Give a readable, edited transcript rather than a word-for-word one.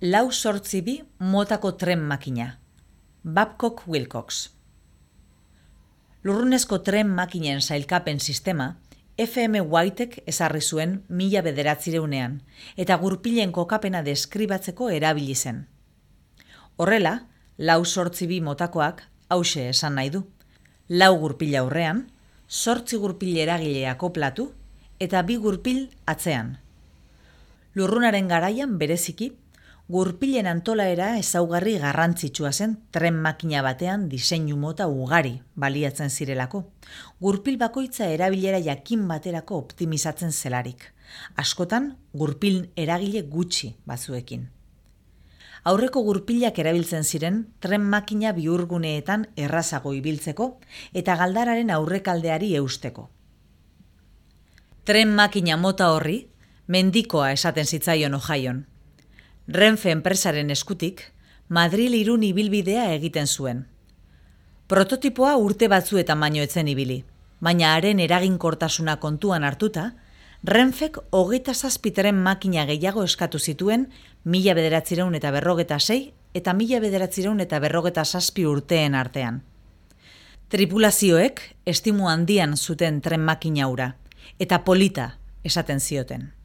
4-bi motako tren makina. Babcock Wilcox. Lurrunezko tren makinen sailkapen sistema F.M. Whitek ezarri zuen 1900ean eta gurpilen kokapena deskribatzeko erabili zen. Horrela, 4-bi motakoak hauxe esan nahi du. 4 gurpil aurrean, 8 gurpil eragile akoplatu eta 2 gurpil atzean. Lurrunaren garaian bereziki, gurpilen antolaera ezaugarri garrantzitsua zen tren makina batean diseinu mota ugari baliatzen zirelako. Gurpil bakoitza erabilera jakin baterako optimizatzen zelarik. Askotan, gurpil eragile gutxi batzuekin. Aurreko gurpilak erabiltzen ziren tren makina bihurguneetan errazago ibiltzeko eta galdararen aurrekaldeari eusteko. Tren makina mota horri mendikoa esaten zitzaion Ohioan. Renfe enpresaren eskutik, Madril-Irun ibilbidea egiten zuen. Prototipoa urte batzuetan baino etzen ibili, baina haren eraginkortasuna kontuan hartuta, Renfek 27 tren makina gehiago eskatu zituen 1956 eta 1957 urteen artean. Tripulazioek estimu handian zuten tren makina hura, eta polita esaten zioten.